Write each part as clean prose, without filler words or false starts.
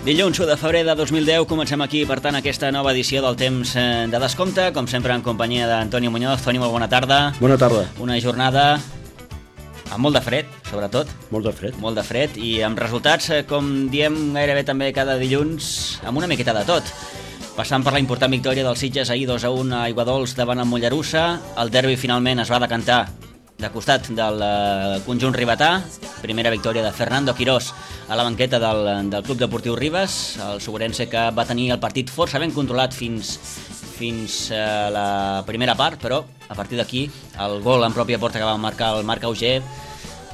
Dilluns 1 de febrer de 2010 comencem aquí, per tant, aquesta nova edició del Temps de Descompte, com sempre en companyia d'Antonio Muñoz. Toni, molt bona tarda. Bona tarda. Una jornada amb molt de fred, sobretot. Molt de fred. Molt de fred i amb resultats, com diem gairebé també cada dilluns, amb una miqueta de tot. Passant per la important victòria dels Sitges ahir 2-1 a Aiguadols davant el Mollerussa. El derbi finalment es va decantar de costat del conjunt ribetà. Primera victòria de Fernando Quirós a la banqueta del Club Deportiu Ribes, el soguerense que va tenir el partit força ben controlat fins a la primera part, però a partir d'aquí el gol en pròpia porta que va marcar el Marc Auger,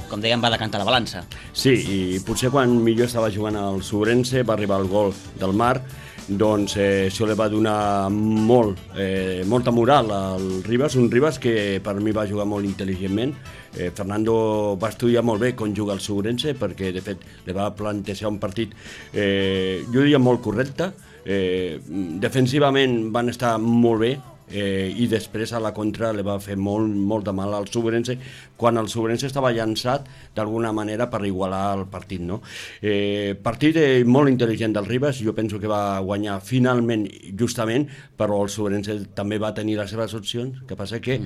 com dèiem, va decantar la balança. Sí, i potser quan millor estava jugant el soguerense va arribar el gol del Marc, doncs això li va donar molta moral al Ribes, un Ribes que per mi va jugar molt intel·ligentment. Fernando va estudiar molt bé com juga el soguerense, perquè de fet li va plantejar un partit, jo diria molt correcte. Defensivament van estar molt bé, i després a la contra li va fer molt de mal al soguerense quan el soguerense estava llançat d'alguna manera per igualar el partit, no? Partit molt intel·ligent del Ribes, jo penso que va guanyar finalment justament, però el soguerense també va tenir les seves opcions, que passa que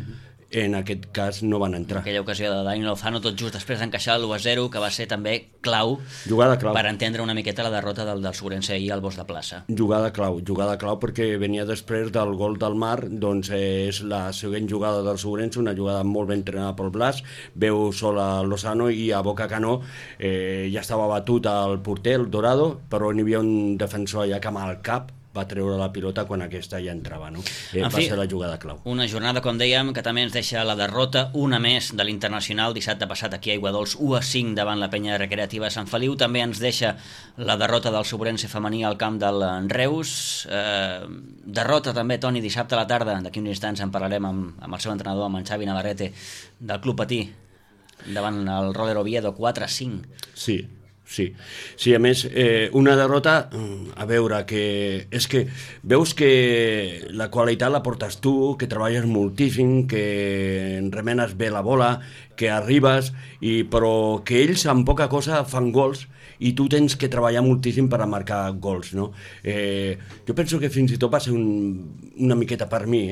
en aquest cas no van entrar. Aquella ocasió de Dani Lozano tot just després d'encaixar l'1-0, que va ser també clau, jugada clau per entendre una miqueta la derrota del soguerense ahir al Bosc de Plaça. Jugada clau perquè venia després del gol del Marc, doncs és la següent jugada del soguerense, una jugada molt ben entrenada pel Blas, veu sol a Lozano i a boca canó ja estava batut el porter, el Dorado, però n'hi havia un defensor allà que amb el cap va treure la pilota quan aquesta ja entrava, no? Va ser la jugada clau. Una jornada, com dèiem, que també ens deixa la derrota, una més de l'Internacional, dissabte passat aquí a Aiguadols, 1-5 davant la penya recreativa Sant Feliu. També ens deixa la derrota del soguerense femení al camp del Reus. Derrota també, Toni, dissabte a la tarda, d'aquí uns instants en parlarem amb el seu entrenador, amb en Xavi Navarrete, del Club Patí, davant el Roller Oviedo, 4-5. Sí, a més, una derrota, a veure, que és que veus que la qualitat la portes tu, que treballes moltíssim, que remenes bé la bola, que arribes, però que ells amb poca cosa fan gols i tu tens que treballar moltíssim per a marcar gols, no? Jo penso que fins i tot va ser una miqueta per mi,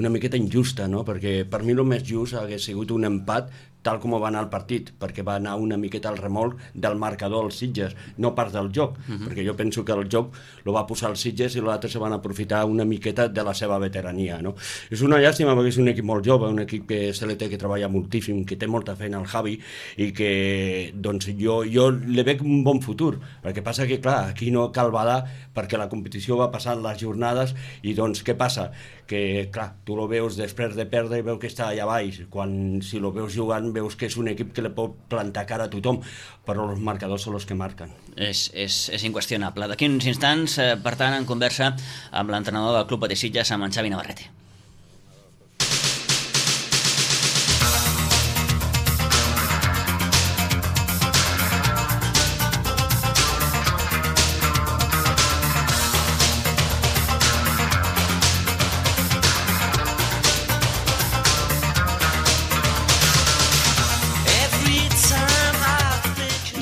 una miqueta injusta, no? Perquè per mi el més just hagués sigut un empat tal com va anar el partit, perquè va anar una miqueta al remolc del marcador als Sitges, no pas del joc, perquè jo penso que el joc lo va posar els Sitges i l'altre se van aprofitar una miqueta de la seva veterania, no? És una llàstima perquè és un equip molt jove, un equip que se li té que treballar moltíssim, que té molta feina al Javi i que doncs jo li veig un bon futur, perquè passa que clar, aquí no cal badar perquè la competició va passant les jornades i doncs què passa? Que clar, tu lo veus després de perdre i veus que està allà baix, quan si lo veus jugant veus que és un equip que li pot plantar cara a tothom, però els marcadors són els que marquen. És inqüestionable. D'aquí uns instants, per tant, en conversa amb l'entrenador del Club Patí Sitges, amb en Xavi Navarrete.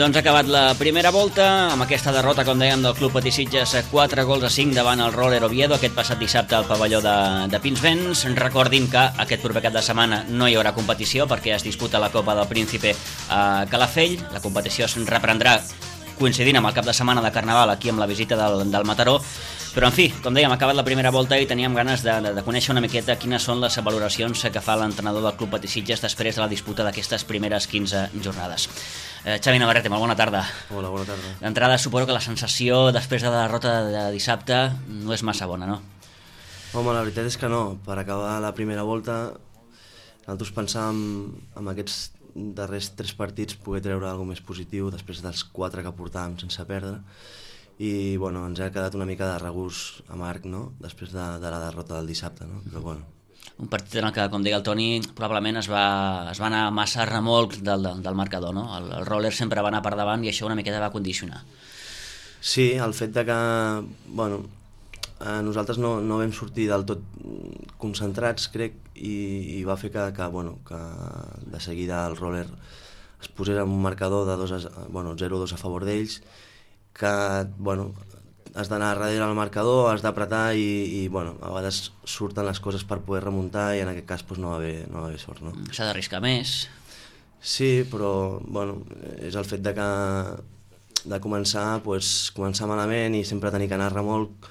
Doncs ha acabat la primera volta amb aquesta derrota, com dèiem, del Club Patí Sitges, 4-5 davant el Roller Oviedo aquest passat dissabte al pavelló de Pinsbens. Recordin que aquest proper cap de setmana no hi haurà competició perquè es disputa la Copa del Príncipe a Calafell. La competició es reprendrà coincidint amb el cap de setmana de Carnaval aquí amb la visita del Mataró. Però, en fi, com dèiem, ha acabat la primera volta i teníem ganes de conèixer una miqueta quines són les valoracions que fa l'entrenador del Club Patí Sitges després de la disputa d'aquestes primeres 15 jornades. Xavi Navarrete, molt bona tarda. Hola, bona tarda. D'entrada, suposo que la sensació després de la derrota de dissabte no és massa bona, no? Home, la veritat és que no. Per acabar la primera volta, nosaltres pensàvem amb aquests darrers 3 partits poder treure alguna més positiu després dels 4 que portàvem sense perdre. I bueno, ens ha quedat una mica de regust amarg, no? Després de la derrota del dissabte, no? Però bueno. Un partit en el que, com deia el Toni, probablement es va anar massa a remolc del marcador, no? El roller sempre va anar per davant i això una miqueta va condicionar. Sí, el fet de que, bueno, nosaltres no vam sortir del tot concentrats, crec, i va fer que de seguida el roller es posés en un marcador de 0-2 a favor d'ells bueno, has d'anar darrere al marcador, has d'apretar i bueno, a vegades surten les coses per poder remuntar i en aquest cas doncs, no va haver sort, no? S'ha d'arriscar més. Sí, però bueno, és el fet de començar malament i sempre tenir que anar a remolc,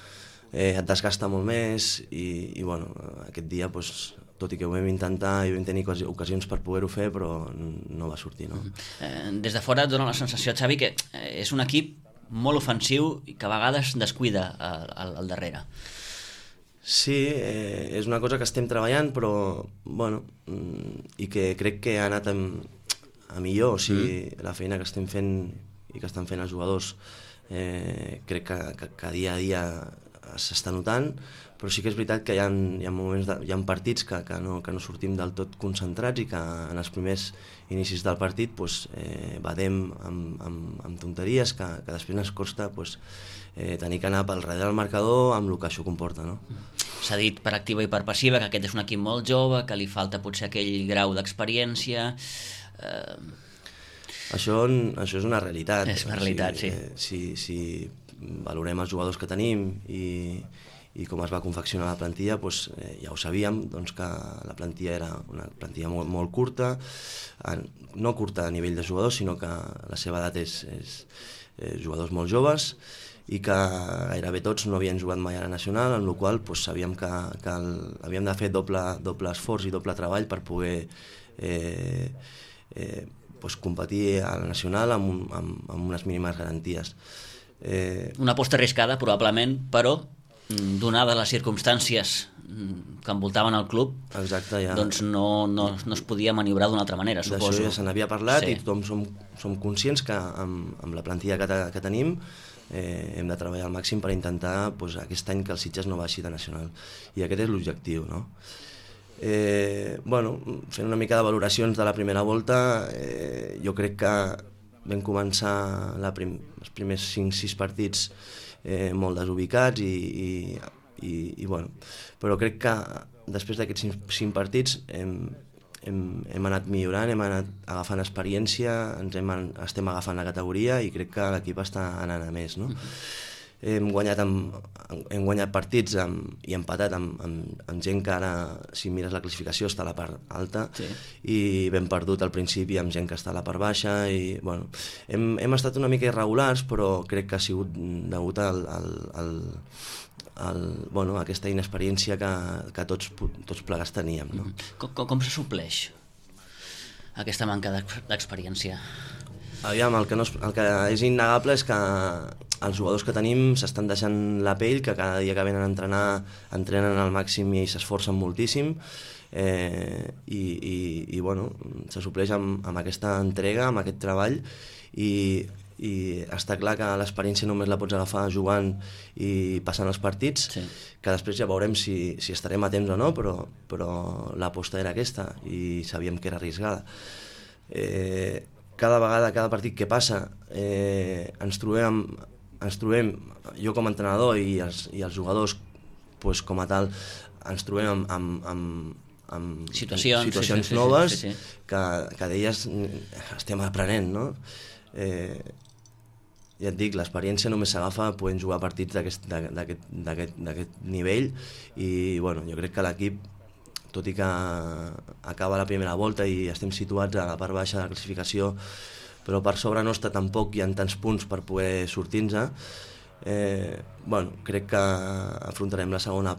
et desgasta molt més i bueno, aquest dia doncs, tot i que ho vam intentar i vam tenir ocasions per poder-ho fer, però no va sortir, no? Des de fora et dona la sensació, Xavi, que és un equip molt ofensiu i que a vegades descuida al darrere. Sí, és una cosa que estem treballant, però bueno, i que crec que ha anat a millor, o sigui, la feina que estem fent i que estan fent els jugadors crec que dia a dia s'està notant, però sí que és veritat que hi ha moments, hi ha partits que no sortim del tot concentrats i que en els primers inicis del partit badem amb tonteries que després ens costa tenir que anar pel darrere del marcador amb el que això comporta, no? S'ha dit per activa i per passiva que aquest és un equip molt jove, que li falta potser aquell grau d'experiència. Això és una realitat. És una realitat, sí. Si valorem els jugadors que tenim i com es va confeccionar la plantilla, ja ho sabíem, que la plantilla era una plantilla molt curta, no curta a nivell de jugadors, sinó que la seva edat és jugadors molt joves i que gairebé tots no havien jugat mai a la nacional, en la qual sabíem que havíem de fer doble esforç i doble treball per poder competir a la nacional amb unes mínimes garanties. Una aposta arriscada, probablement, però donades les circumstàncies que envoltaven el club, exacte, ja. Doncs no es podia maniobrar d'una altra manera, suposo. D'això ja se n'havia parlat, sí. I tothom som conscients que amb la plantilla que tenim hem de treballar al màxim per intentar aquest any que el Sitges no baixi de nacional, i aquest és l'objectiu, no? Fent una mica de valoracions de la primera volta, jo crec que vam començar els primers 5-6 partits molt desubicats però crec que després d'aquests 5 partits hem anat millorant, hem anat agafant experiència, estem agafant la categoria i crec que l'equip està anant a més, no? Hem guanyat partits i empatat amb gent que ara, si mires la classificació, està a la part alta, sí. I ben perdut al principi amb gent que està a la part baixa i, hem estat una mica irregulars, però crec que ha sigut degut a aquesta inexperiència que tots plegats teníem, no? Com se supleix aquesta manca d'experiència? Aviam, el que és innegable és que els jugadors que tenim s'estan deixant la pell, que cada dia que venen a entrenar entrenen al màxim i s'esforcen moltíssim, i se supleix amb aquesta entrega, amb aquest treball, i està clar que l'experiència només la pots agafar jugant i passant els partits, sí. Que després ja veurem si estarem a temps o no, però l'aposta era aquesta i sabíem que era arriscada. Cada vegada, cada partit que passa, ens trobem, jo com a entrenador i els jugadors com a tal, ens trobem amb situacions noves, sí. Que d'elles estem aprenent, no? Ja et dic, l'experiència només s'agafa podent jugar partits d'aquest nivell i jo crec que l'equip, tot i que acaba la primera volta i estem situats a la part baixa de la classificació, però per sobre nostre tampoc hi ha tants punts per poder sortir-nos. Crec que afrontarem la segona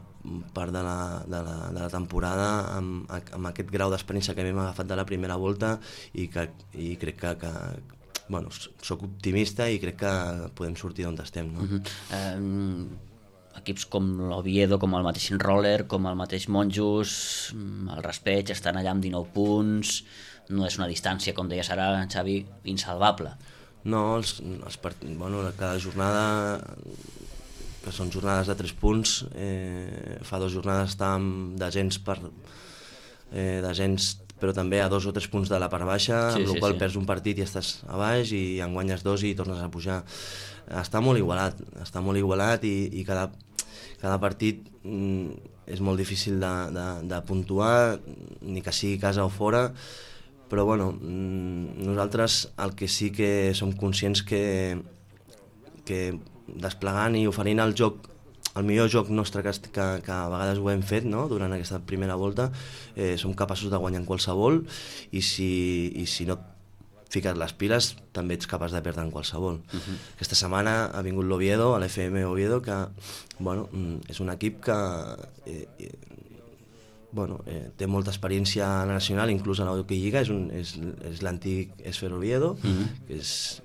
part de la temporada amb aquest grau d'experiència que hem agafat de la primera volta i crec que soc optimista i crec que podem sortir d'on estem, no? Equips com l'Oviedo, com el mateix Roller, com el mateix Monjos, el Raspeig, estan allà amb 19 punts, no és una distància, com deia Sara, Xavi, insalvable. No, cada jornada, que són jornades de 3 punts, fa 2 jornades estàvem descens però també a 2 o 3 punts de la part baixa, amb la qual perds un partit i estàs a baix i en guanyes 2 i tornes a pujar. Està molt igualat i cada partit és molt difícil de puntuar, ni que sigui casa o fora, però nosaltres el que sí que som conscients que desplegant i oferint el joc, el millor joc nostre que a vegades ho hem fet, no? Durant aquesta primera volta, som capaços de guanyar en qualsevol, i si no fiques les piles també ets capaç de perdre en qualsevol. Aquesta setmana ha vingut l'Oviedo, a l'FM Oviedo, que és un equip que té molta experiència a la nacional, inclús a l'Hockey Lliga, és l'antic Esfera Oviedo, que és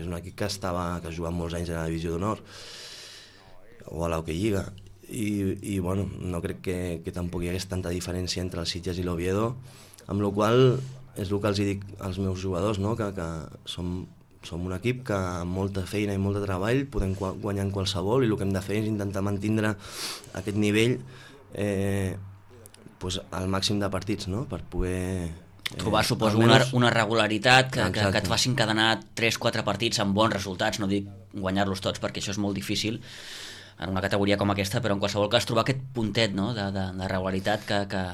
un equip que ha jugat molts anys a la divisió d'honor o a l'Hockey Lliga, i no crec que tampoc hi hagués tanta diferència entre els Sitges i l'Oviedo, amb la qual és el que els dic als meus jugadors, no? Que som un equip que amb molta feina i molt de treball podem guanyar en qualsevol, i el que hem de fer és intentar mantindre aquest nivell al màxim de partits, no? Per poder trobar, suposo, una regularitat que et faci encadenar 3-4 partits amb bons resultats. No dic guanyar-los tots, perquè això és molt difícil en una categoria com aquesta, però en qualsevol cas trobar aquest puntet, no? de regularitat que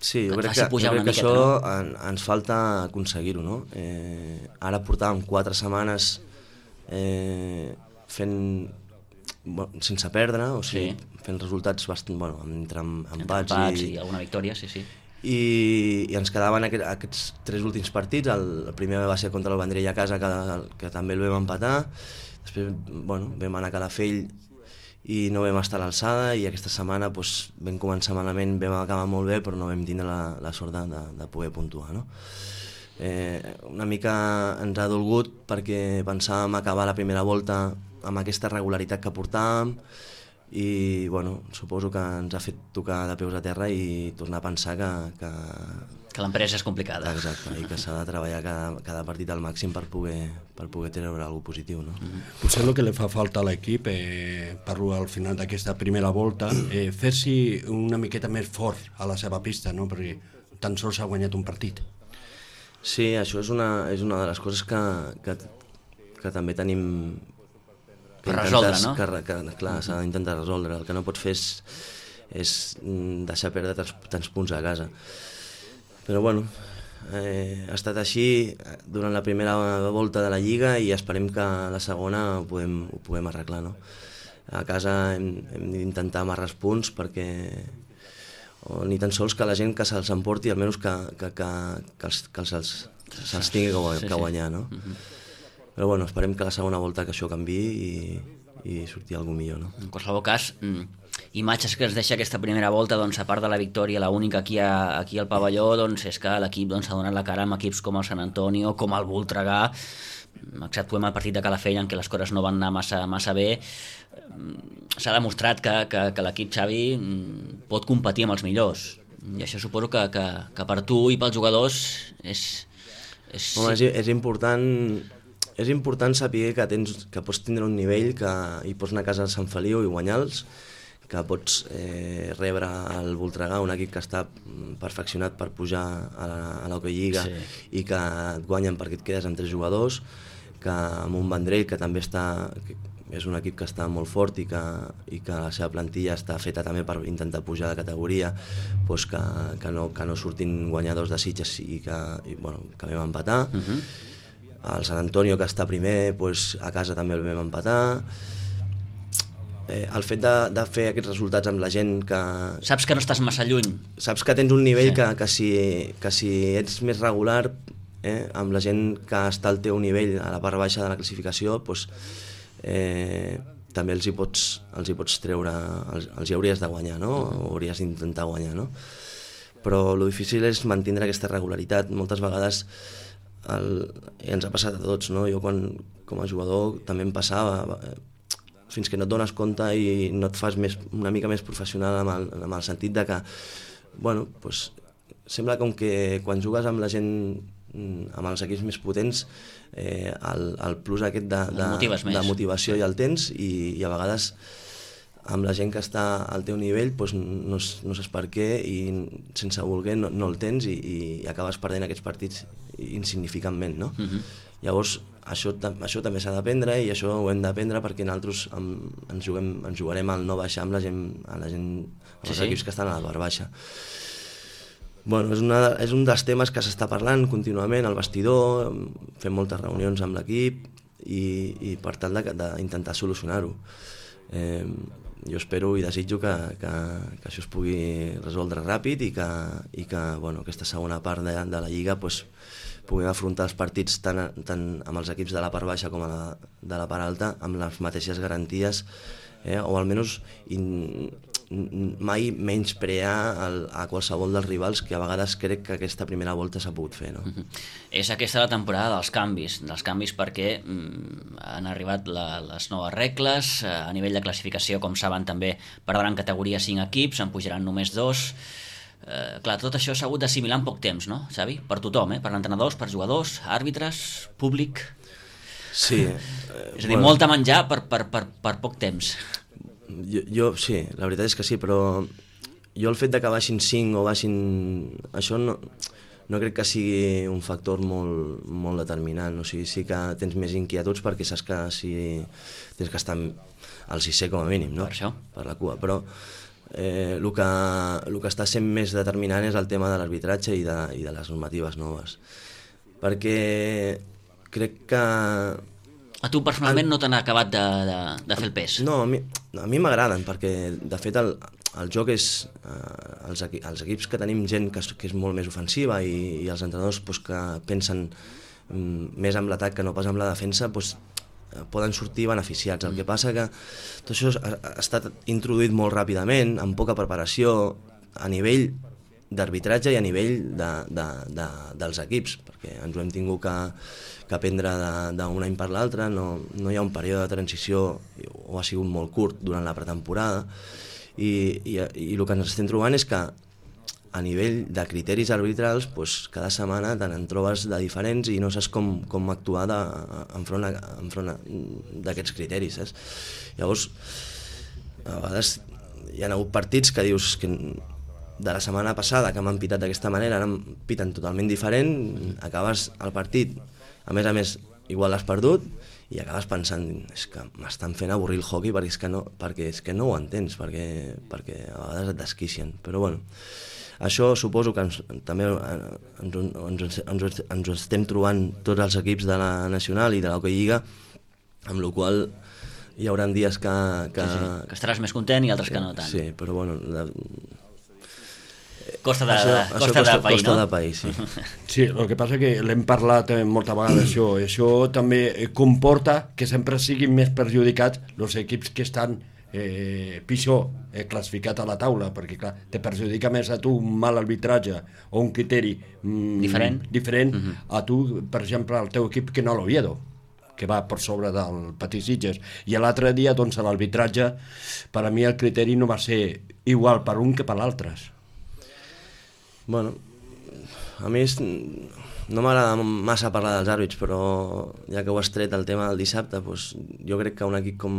sí, jo et crec faci pujar una miqueta. Això ens falta aconseguir-ho, no? Ara portàvem 4 setmanes fent sense perdre, o sigui, fent resultats bastant, entre empats i alguna victòria, sí. I ens quedaven aquests 3 últims partits. El primer va ser contra el Vendrell a casa, que també el vam empatar. Després vam anar a Calafell i no vam estar a l'alçada, i aquesta setmana vam començar malament, vam acabar molt bé, però no vam tindre la sort de poder puntuar, no? Una mica ens ha dolgut, perquè pensàvem acabar la primera volta amb aquesta regularitat que portàvem, i suposo que ens ha fet tocar de peus a terra i tornar a pensar que l'empresa és complicada. Exacte, i que s'ha de treballar cada partit al màxim per poder treure alguna cosa positiu, no? Potser el que li fa falta a l'equip, parlo al final d'aquesta primera volta, fer-s'hi una miqueta més fort a la seva pista, no? Perquè tan sols ha guanyat un partit. Sí, això és una de les coses que també tenim per resoldre, no? Clar, s'ha d'intentar resoldre. El que no pots fer és deixar perdre tants punts a casa. Però ha estat així durant la primera volta de la Lliga, i esperem que a la segona ho puguem arreglar, no? A casa hem d'intentar amarrar els punts, perquè ni tan sols que la gent que se'ls emporti, almenys que se'ls tingui que guanyar, no? Però esperem que a la segona volta que això canviï i surti alguna millor, no? En qualsevol cas, imatges que es deixa aquesta primera volta, a part de la victòria, l'única aquí al pavelló, és que l'equip ha donat la cara amb equips com el Sant Antonio, com el Voltregà, exceptuem el partit de Calafell, en què les coses no van anar massa bé. S'ha demostrat que l'equip, Xavi, pot competir amb els millors, i això suposo que per tu i pels jugadors és important. És important saber que pots tindre un nivell, que hi pots anar a casa de Sant Feliu i guanyar-los, que pots rebre el Voltregà, un equip que està perfeccionat per pujar a l'Hockey Lliga, i que et guanyen perquè et quedes amb 3 jugadors, que amb un Vendrell, que també és un equip que està molt fort, i que la seva plantilla està feta també per intentar pujar de categoria, que no surtin guanyadors de Sitges, i que vam empatar. El Sant Antonio, que està primer, a casa també el vam empatar. El fet de fer aquests resultats amb la gent que... Saps que no estàs massa lluny. Saps que tens un nivell que si ets més regular, amb la gent que està al teu nivell, a la part baixa de la classificació, també els hi pots treure, els hi hauries de guanyar, no? O hauries d'intentar guanyar, no? Però el difícil és mantenir aquesta regularitat. Moltes vegades ens ha passat a tots, no? Jo com a jugador també em passava, fins que no et dones compte i no et fas una mica més professional amb el sentit de que sembla com que quan jugues amb la gent, amb els equips més potents, el plus aquest de motivació ja el tens, i a vegades amb la gent que està al teu nivell no saps per què, i sense voler no el tens, i acabes perdent aquests partits insignificantment, no? Llavors això també s'ha d'aprendre, i això ho hem d'aprendre, perquè nosaltres ens jugarem al no baixar amb la gent, els equips que estan a la part baixa. És un dels temes que s'està parlant contínuament al vestidor, fem moltes reunions amb l'equip, i per tal d'intentar solucionar-ho. Jo espero i desitjo que això es pugui resoldre ràpid i que aquesta segona part de la Lliga puguem afrontar els partits tant amb els equips de la part baixa com de la part alta amb les mateixes garanties, o almenys mai menysprear a qualsevol dels rivals, que a vegades crec que aquesta primera volta s'ha pogut fer, no? És aquesta la temporada dels canvis perquè han arribat les noves regles, a nivell de classificació, com saben, també perdran categoria 5 equips, en pujaran només 2. Clar, tot això s'ha hagut d'assimilar en poc temps, no, Xavi? Per tothom, per entrenadors, per jugadors, àrbitres, públic... Sí. És a dir, molt a menjar per poc temps. Jo sí, la veritat és que sí, però jo el fet de que baixin 5 o baixin... Això no crec que sigui un factor molt determinant. O sigui, sí que tens més inquietuds perquè saps que tens que estar al 6è com a mínim, no? Per això. Per la cua, però el que està sent més determinant és el tema de l'arbitratge i de les normatives noves. Perquè crec que... A tu personalment no t'han acabat de fer el pes? No, a mi m'agraden, perquè de fet el joc és... Els equips que tenim gent que és molt més ofensiva i els entrenadors que pensen més amb l'atac que no pas amb la defensa, poden sortir beneficiats. El que passa que tot això ha estat introduït molt ràpidament, amb poca preparació, a nivell d'arbitratge i a nivell dels equips, perquè ens ho hem tingut que aprendre d'un any per l'altre, no hi ha un període de transició, o ha sigut molt curt durant la pretemporada, i el que ens estem trobant és que a nivell de criteris arbitrals cada setmana te n'en trobes de diferents i no saps com actuar enfront d'aquests criteris, saps? Llavors, a vegades hi ha hagut partits que dius que de la setmana passada que m'han pitat d'aquesta manera, ara em piten totalment diferent, acabes el partit, a més, igual l'has perdut, i acabes pensant, és que m'estan fent avorrir el hockey perquè és que no ho entens, perquè a vegades et desquicien. Però bueno, això suposo que també ens ho estem trobant tots els equips de la Nacional i de l'Hockey Lliga, amb la qual hi haurà dies que estaràs més content i altres que no tant. Sí, però bueno... Costa de país, sí. Sí, el que passa que l'hem parlat moltes vegades, això també comporta que sempre siguin més perjudicats els equips que estan pitjor classificats a la taula, perquè clar, te perjudica més a tu un mal arbitratge o un criteri diferent a tu, per exemple, al teu equip que no l'Oviedo, que va per sobre del Patí Sitges, i l'altre dia doncs l'arbitratge, per a mi el criteri no va ser igual per un que per l'altre. Bueno, a mi no m'agrada massa parlar dels àrbits, però ja que ho has tret el tema del dissabte, jo crec que un equip com...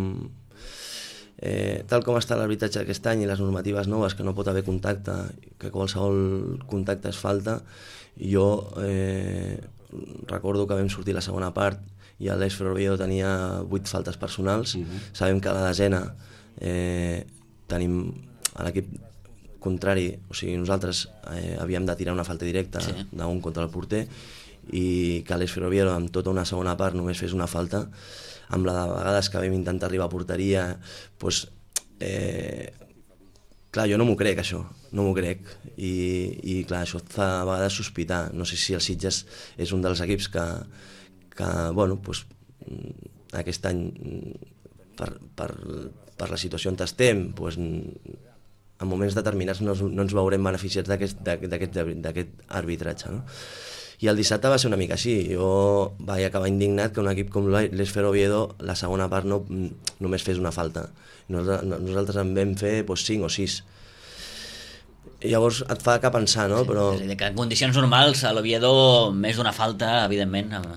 tal com està l'arbitratge aquest any i les normatives noves, que no pot haver contacte, que qualsevol contacte és falta, jo recordo que vam sortir la segona part i l'Eix Ferroviario tenia 8 faltes personals. Sabem que a la desena tenim a l'equip contrari, o sigui, nosaltres havíem de tirar una falta directa d'un contra el porter i que l'Eix Ferroviario amb tota una segona part només fes una falta, amb la de vegades que vam intentar arribar a porteria, clar, jo no m'ho crec això, no m'ho crec, i clar, això et fa a vegades sospitar. No sé si el Sitges és un dels equips que bueno, aquest any per la situació on estem, en moments determinats no ens veurem beneficiats d'aquest arbitratge, no? I el dissabte va ser una mica així. Jo vaig acabar indignat que un equip com l'Eix Ferroviario la segona part només fes una falta. Nosaltres en vam fer 5 o 6. Llavors et fa que pensar, no? Però... És a dir, que en condicions normals a l'Oviedo més d'una falta, evidentment, amb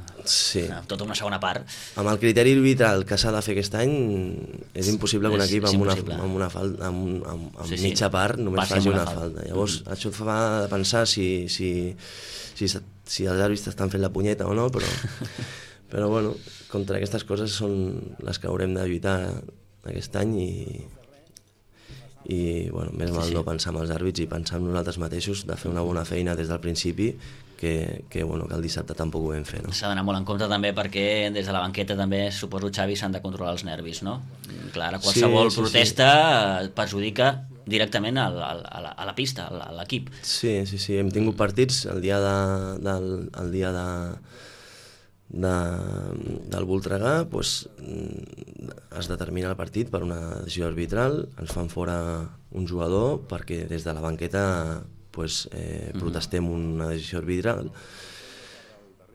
tota una segona part. Amb el criteri arbitral que s'ha de fer aquest any és impossible que un equip amb mitja part només faci una falta. Llavors això et fa pensar si els àrbits estan fent la punyeta o no, però bueno, contra aquestes coses són les que haurem de lluitar aquest any i bueno, més val no pensar en els àrbits i pensar en nosaltres mateixos, de fer una bona feina des del principi, que el dissabte tampoc ho vam fer. No? S'ha d'anar molt en compte també perquè des de la banqueta també, suposo, Xavi, s'han de controlar els nervis, no? Clar, qualsevol protesta perjudica directament a la pista, a l'equip. Sí, hem tingut partits el dia del Voltregà, es determina el partit per una decisió arbitral, ens fan fora un jugador perquè des de la banqueta protestem una decisió arbitral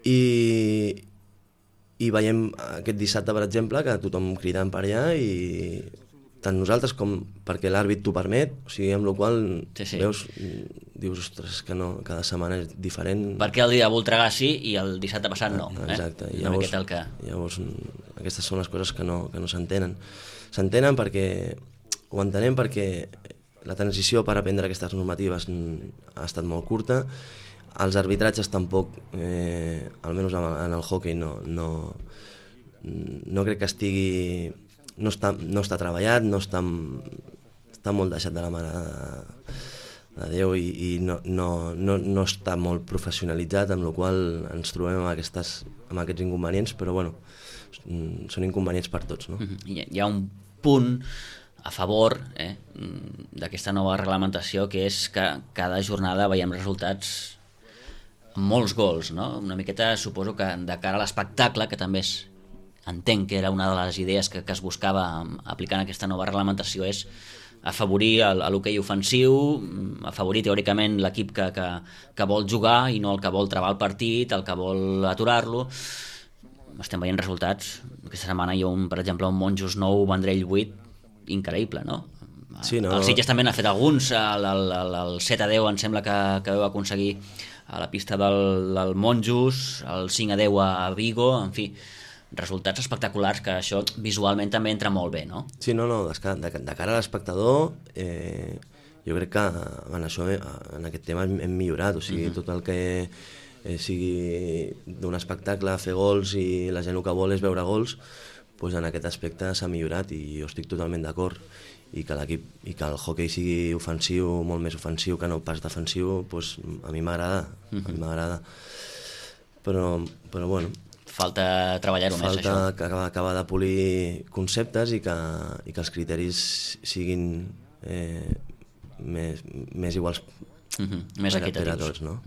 i veiem aquest dissabte, per exemple, que tothom cridant per allà i tant nosaltres com perquè l'àrbit t'ho permet, o sigui, amb la qual veus, dius, ostres, que no, cada setmana és diferent. Perquè el dia de Voltregà sí i el dissabte passat no. Exacte, llavors aquestes són les coses que no s'entenen. S'entenen perquè, ho entenem perquè la transició per aprendre aquestes normatives ha estat molt curta, els arbitratges tampoc, almenys en el hoquei no crec que estigui, no està treballat, està molt deixat de la mà de Déu i no està molt professionalitzat, amb la qual ens trobem amb aquests inconvenients, però bueno, són inconvenients per tots. No? Hi ha un punt a favor d'aquesta nova reglamentació, que és que cada jornada veiem resultats amb molts gols, no? Una miqueta suposo que de cara a l'espectacle, que també entenc que era una de les idees que es buscava aplicant aquesta nova reglamentació, és afavorir l'hoquei ofensiu, afavorir teòricament l'equip que vol jugar i no el que vol travar el partit, el que vol aturar-lo. Estem veient resultats. Aquesta setmana hi ha, per exemple, un Monjos 9, Vendrell 8, increïble, no? Sí, no? El Sitges també n'ha fet alguns, el 7-10 em sembla que vau aconseguir a la pista del Monjos, el 5-10 a Vigo, en fi, resultats espectaculars, que això visualment també entra molt bé, no? Sí, de cara a l'espectador, jo crec que en aquest tema hem millorat, o sigui, tot el que sigui d'un espectacle, fer gols i la gent el que vol és veure gols, doncs en aquest aspecte s'ha millorat i jo estic totalment d'acord, i que l'equip i que el hoquei sigui ofensiu, molt més ofensiu que no pas defensiu, doncs a mi m'agrada, però bueno, falta treballar-ho més, això. Falta acabar de polir conceptes i que els criteris siguin més iguals més equitatius per a tots, no?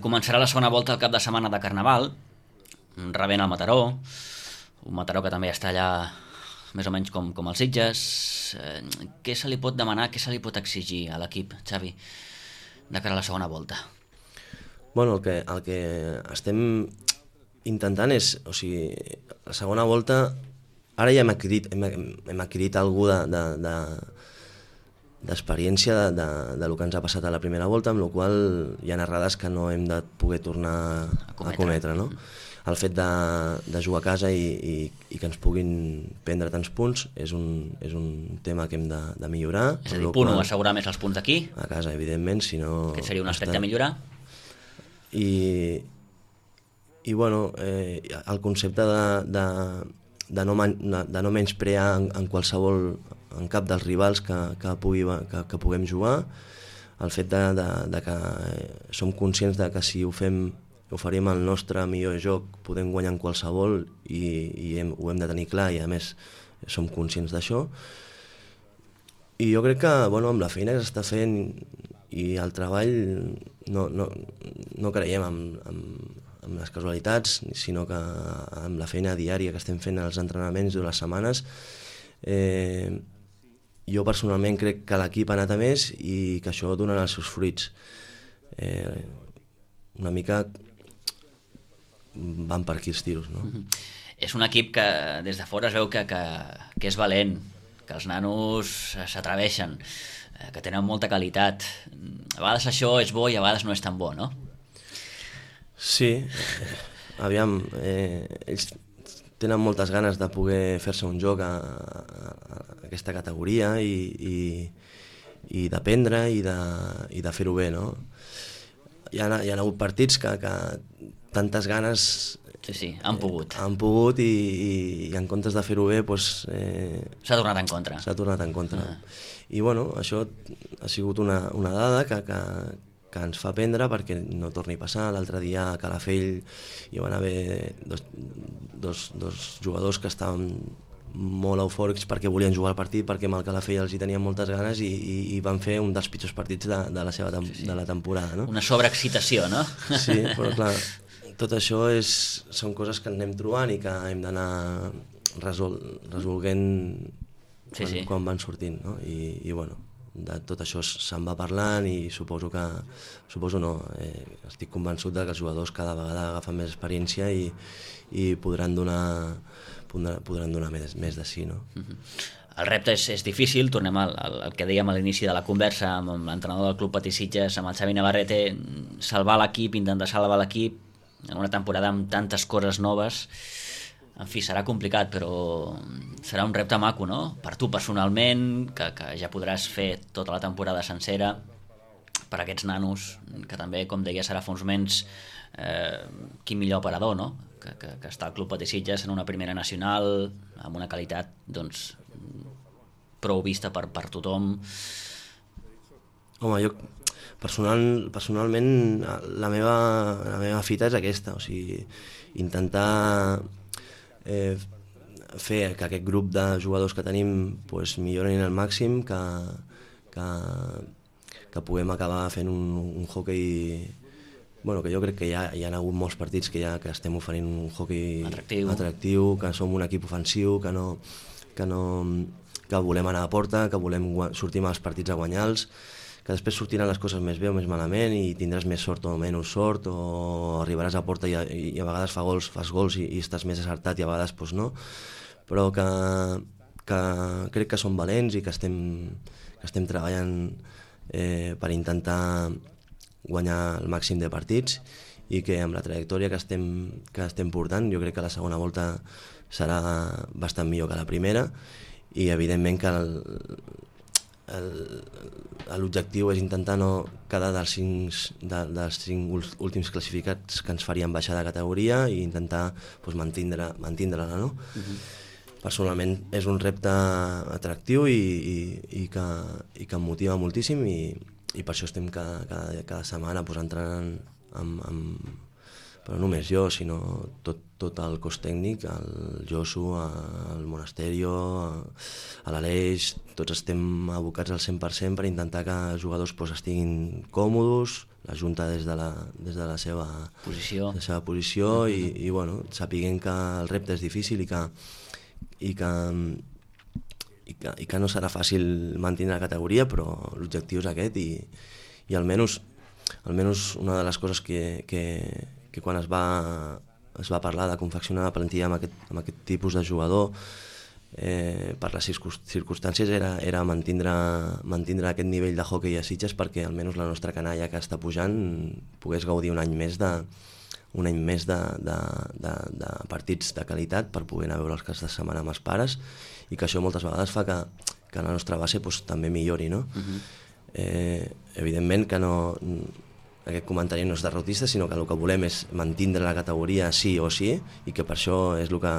Començarà la segona volta al cap de setmana de Carnaval, rebent el Mataró, un Mataró que també està allà més o menys com els Sitges. Què se li pot demanar, què se li pot exigir a l'equip, Xavi, de cara a la segona volta? Bueno, el que estem intentant és, o sigui, la segona volta, ara ja hem adquirit alguna d'experiència del que ens ha passat a la primera volta, amb la qual hi ha errades que no hem de poder tornar a cometre, no? El fet de jugar a casa i que ens puguin prendre tants punts és un tema que hem de millorar. És a dir, punt 1, assegurar més els punts d'aquí. A casa, evidentment, si no... Aquest seria un aspecte a millorar. I bueno, el concepte de no menysprear en qualsevol, en cap dels rivals que puguem jugar, el fet de que som conscients de que si oferim el nostre millor joc, podem guanyar en qualsevol i ho hem de tenir clar i a més som conscients d'això. I jo crec que amb la feina que s'està fent i el treball no creiem en les casualitats, sinó que amb la feina diària que estem fent als entrenaments de les setmanes, jo personalment crec que l'equip ha anat a més i que això donarà els seus fruits. Una mica van per aquí els tiros, no? És un equip que des de fora es veu que és valent, que els nanos s'atreveixen, que tenen molta qualitat. A vegades això és bo i a vegades no és tan bo, no? Sí, aviam, ells tenen moltes ganes de poder fer-se un joc a aquesta categoria i d'aprendre i de fer-ho bé, no? Hi ha hagut partits que tantes ganes Sí, han pogut. Han pogut i en comptes de fer-ho bé, doncs... S'ha tornat en contra. S'ha tornat en contra. I bueno, això ha sigut una dada que ens fa aprendre perquè no torni a passar. L'altre dia a Calafell hi van haver dos jugadors que estaven molt eufòrics perquè volien jugar al partit, perquè amb el Calafell els hi tenien moltes ganes i van fer un dels pitjors partits de la temporada. No? Una sobreexcitació, no? Sí, però clar, tot això són coses que anem trobant i que hem d'anar resolguent quan van sortint, no? I bueno, de tot això se'n va parlant i suposo no, estic convençut que els jugadors cada vegada agafen més experiència i podran donar més de si, no? El repte és difícil, tornem al que dèiem a l'inici de la conversa amb l'entrenador del Club Patí Sitges, amb el Xavi Navarrete, salvar l'equip, intentar salvar l'equip en una temporada amb tantes coses noves. En fi, serà complicat, però serà un repte maco, no? Per tu personalment, que ja podràs fer tota la temporada sencera, per aquests nanos, que també, com deia, serà fa uns moments quin millor operador, no? Que està al Club Patí Sitges en una primera nacional, amb una qualitat, doncs, prou vista per tothom. Home, jo personalment la meva fita és aquesta, o sigui, intentar fer que aquest grup de jugadors que tenim millorin al màxim, que puguem acabar fent un hoquei, bueno, que jo crec que ja hi ha hagut molts partits que estem oferint un hoquei atractiu, que som un equip ofensiu, que volem anar a porta, que volem sortir als partits a guanyar-los, que després sortiran les coses més bé o més malament i tindràs més sort o menys sort, o arribaràs a porta i a vegades fas gols i estàs més acertat i a vegades no, però que crec que som valents i que estem treballant per intentar guanyar el màxim de partits i que amb la trajectòria que estem portant jo crec que la segona volta serà bastant millor que la primera i evidentment que l'objectiu és intentar no quedar dels cinc últims classificats que ens farien baixar de categoria i intentar mantindre-la, no? Personalment és un repte atractiu i que em motiva moltíssim i per això estem cada setmana entrenant però no només jo, sinó tot el cos tècnic, el Josu, el Monasterio, a l'Aleix, tots estem abocats al 100% per intentar que els jugadors estiguin còmodes, la Junta des de la seva posició i bueno, sapiguem que el repte és difícil i que no serà fàcil mantenir la categoria, però l'objectiu és aquest i almenys una de les coses que quan es va parlar de confeccionar la plantilla amb aquest tipus de jugador per les circumstàncies era mantindre aquest nivell de hoquei a Sitges perquè almenys la nostra canalla que està pujant pogués gaudir un any més de partits de qualitat per poder anar a veure els caps de setmana amb els pares i que això moltes vegades fa que la nostra base també millori, no? Evidentment que no... Aquest comentari no és derrotista, sinó que el que volem és mantindre la categoria sí o sí i que per això és el que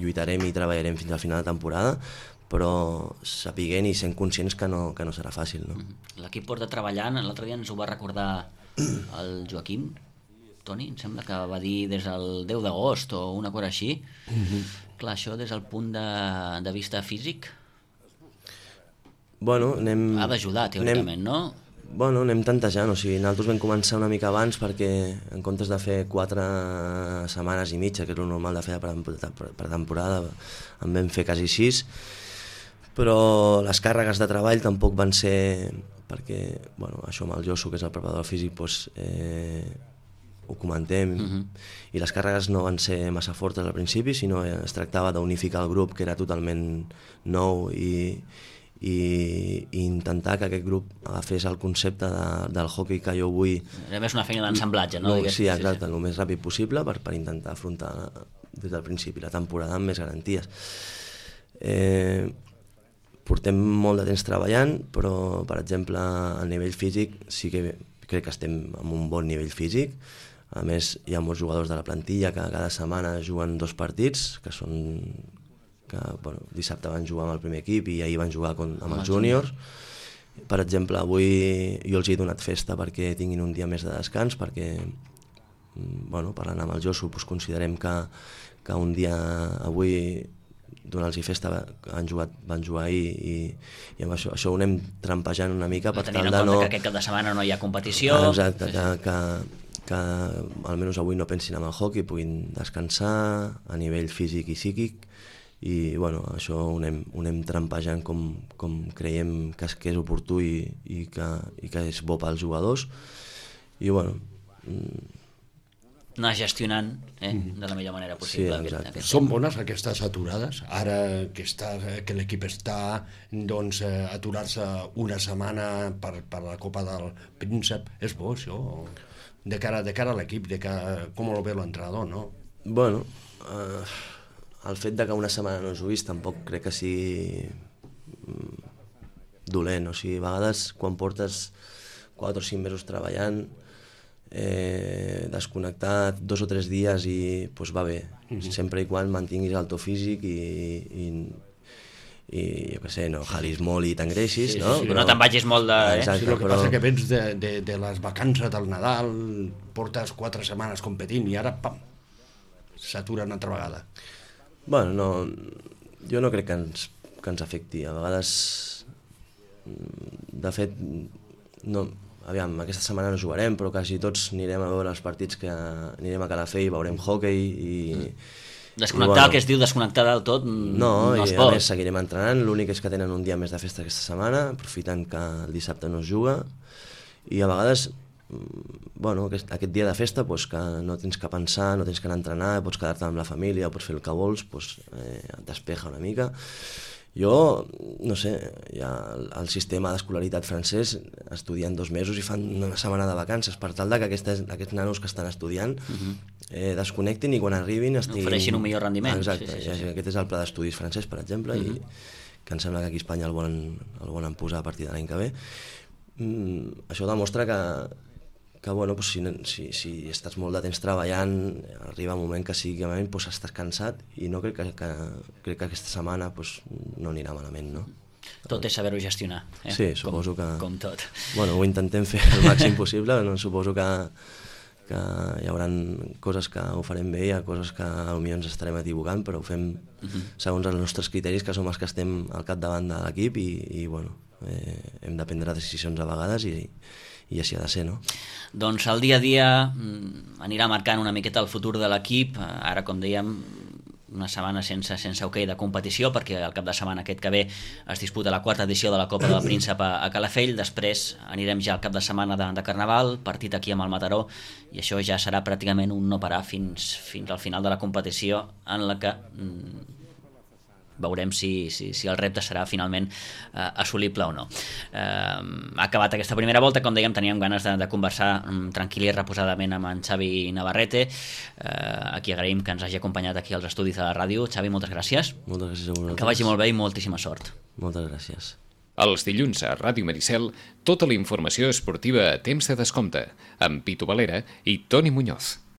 lluitarem i treballarem fins al final de temporada, però sapiguent i sent conscients que no serà fàcil. No? L'equip porta treballant, l'altre dia ens ho va recordar el Joaquim, Toni, em sembla que va dir des del 10 d'agost o una cosa així. Clar, això des del punt de vista físic ha d'ajudar teòricament, no? Bueno, anem tantejant, o sigui, nosaltres vam començar una mica abans perquè en comptes de fer 4 setmanes i mitja, que és el normal de fer per temporada, en vam fer quasi 6, però les càrregues de treball tampoc van ser, perquè això amb el Josu, que és el preparador físic, ho comentem, i les càrregues no van ser massa fortes al principi, sinó es tractava d'unificar el grup, que era totalment nou, i intentar que aquest grup agafés el concepte del hoquei que jo vull. Era més una feina d'ensamblatge, no? Sí, exacte, el més ràpid possible per intentar afrontar des del principi la temporada amb més garanties. Portem molt de temps treballant, però per exemple a nivell físic sí que crec que estem en un bon nivell físic. A més, hi ha molts jugadors de la plantilla que cada setmana juguen 2 partits, que són... dissabte van jugar amb el primer equip i ahir van jugar amb els júniors. Per exemple, avui jo els he donat festa perquè tinguin un dia més de descans, perquè, parlant amb el Josu, considerem que un dia avui donar-los festa van jugar ahir i amb això ho anem trampejant una mica per tal de no... Tenint en compte que aquest cap de setmana no hi ha competició... Exacte, que almenys avui no pensin en el hockey, puguin descansar a nivell físic i psíquic i això ho anem trampejant com creiem que és oportú i que és bo pels jugadors i anar gestionant de la millor manera possible. Sí, exacte. Són bones aquestes aturades? Ara que l'equip està, doncs, aturar-se una setmana per la Copa del Príncep, és bo això? De cara a l'equip, com ho veu l'entrenador, no? El fet de que una setmana no juguis tampoc crec que sigui dolent. O sigui, a vegades quan portes 4 o 5 mesos treballant, desconnectat 2 o 3 dies i va bé, sempre i quan mantinguis el to físic i jo què sé, no jalis molt i t'engreixis, no? No te'n vagis molt de... Exacte, el que passa que vens de les vacances del Nadal, portes 4 setmanes competint i ara, pam, s'aturen altra vegada. Jo no crec que ens afecti. A vegades, de fet, aquesta setmana no jugarem, però quasi tots anirem a veure els partits que anirem a Calafell, veurem hoquei i... Desconnectar, que es diu desconnectar del tot, no es pot. A més seguirem entrenant, l'únic és que tenen un dia més de festa aquesta setmana, aprofitant que el dissabte no es juga, i a vegades, aquest dia de festa, que no tens que pensar, no tens que anar a entrenar, pots quedar-te amb la família, pots fer el que vols, et despeja una mica. Jo, no sé, ja el sistema d'escolaritat francès estudien 2 mesos i fan una setmana de vacances per tal que aquests nanos que estan estudiant desconnectin i quan arribin ofereixin un millor rendiment. Exacte, aquest és el pla d'estudis francès, per exemple, i que em sembla que aquí a Espanya el volen posar a partir de l'any que ve. Això demostra que si estàs molt de temps treballant, arriba un moment que psíquicament estàs cansat i no crec que aquesta setmana no anirà malament, no? Tot és saber-ho gestionar. Sí, suposo que... Com tot. Ho intentem fer el màxim possible, suposo que hi haurà coses que ho farem bé, hi ha coses que potser ens estarem equivocant, però ho fem segons els nostres criteris, que som els que estem al capdavant de l'equip i hem de prendre decisions a vegades i així ha de ser, no? Doncs el dia a dia anirà marcant una miqueta el futur de l'equip. Ara, com dèiem, una setmana sense hoquei de competició, perquè el cap de setmana aquest que ve es disputa la 4ª edició de la Copa del Príncep a Calafell. Després anirem ja al cap de setmana de Carnaval, partit aquí amb el Mataró, i això ja serà pràcticament un no parar fins al final de la competició, en la que veurem si el repte serà finalment assolible o no. Ha acabat aquesta primera volta, com dèiem, teníem ganes de conversar tranquil i reposadament amb en Xavi Navarrete, a qui agraïm que ens hagi acompanyat aquí als estudis de la ràdio. Xavi, moltes gràcies. Moltes gràcies a vosaltres. Que vagi molt bé i moltíssima sort. Moltes gràcies. Els dilluns a Ràdio Maricel, tota la informació esportiva a temps de descompte, amb Pitu Valera i Toni Muñoz.